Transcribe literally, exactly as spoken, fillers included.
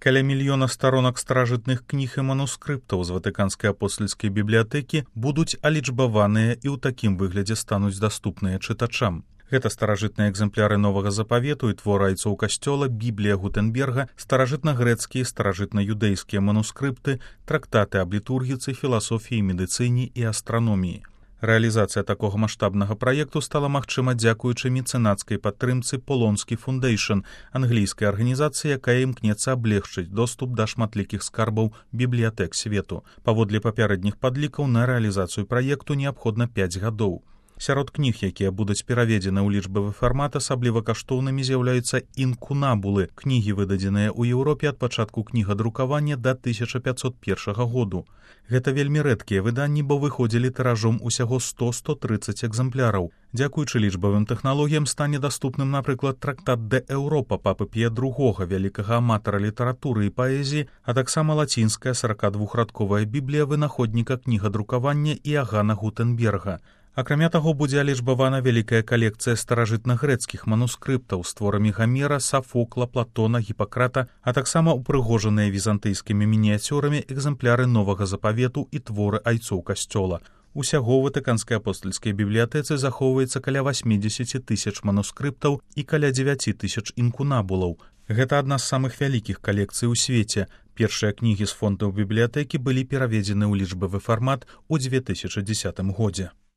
Каля мільёна старонак старажытных кніг і манускрыптаў з Ватыканскай апостальскай бібліятэкі будуць алічбаваныя і ў такім выглядзе стануць даступныя чытачам. Гэта старажытныя экземпляры новага запавету і творы айцоў касцёла, Біблія Гутенберга, старажытна-грэцкія, старажытна-юдэйскія манускрыпты, трактаты аб літургіцы, філасофіі, медыцыне і астраноміі. Рэалізацыя такога маштабнага праекту стала магчыма дзякуючы мецэнацкай падтрымцы Полонскі Фундейшн, англійскай арганізацыі, якая імкнецца аблегчыць доступ да шматлікіх скарбаў бібліятэк свету. Паводле папярэдніх падлікаў на рэалізацыю праекту неабходна пяць гадоў. Сярод кніг, якія будуць пераведзены ў лічбавы фармат, асабліва каштоўнымі з'яўляюцца інкунабулы, кнігі, выдадзеныя ў Еўропе ад пачатку кнігадрукавання да тысяча пяцьсот першага году. Гэта вельмі рэдкія выданні, бо выходзілі тыражом усяго сто - сто трыццаць экземпляраў. Дзякуючы лічбавым тэхналогіям стане даступным, напрыклад, трактат «Де Еўропа» папы Пія другога, вялікага аматара літаратуры і паэзіі, а таксама лацінская саракадвухрадковая біблія вынаходніка кнігадрукавання Іагана Гутенберга. Акрамя таго, будзе алічбавана вялікая калекцыя старажытна-грэцкіх манускрыптаў з творамі Гамера, Сафокла, Платона, Гіпакрата, а таксама упрыгожаныя візантыйскімі мініяцюрамі экземпляры новага запавету і творы айцоў касцёла. Усяго ў Ватыканскай апостальскай бібліятэцы захоўваецца каля васьмідзесят тысяч манускрыптаў і каля дзевяць тысяч інкунабулаў. Гэта адна з самых вялікіх калекцый у свеце. Першыя кнігі з фондаў бібліятэкі былі пераведзены ў лічбавы фармат у дзве тысячы дзесятым годзе.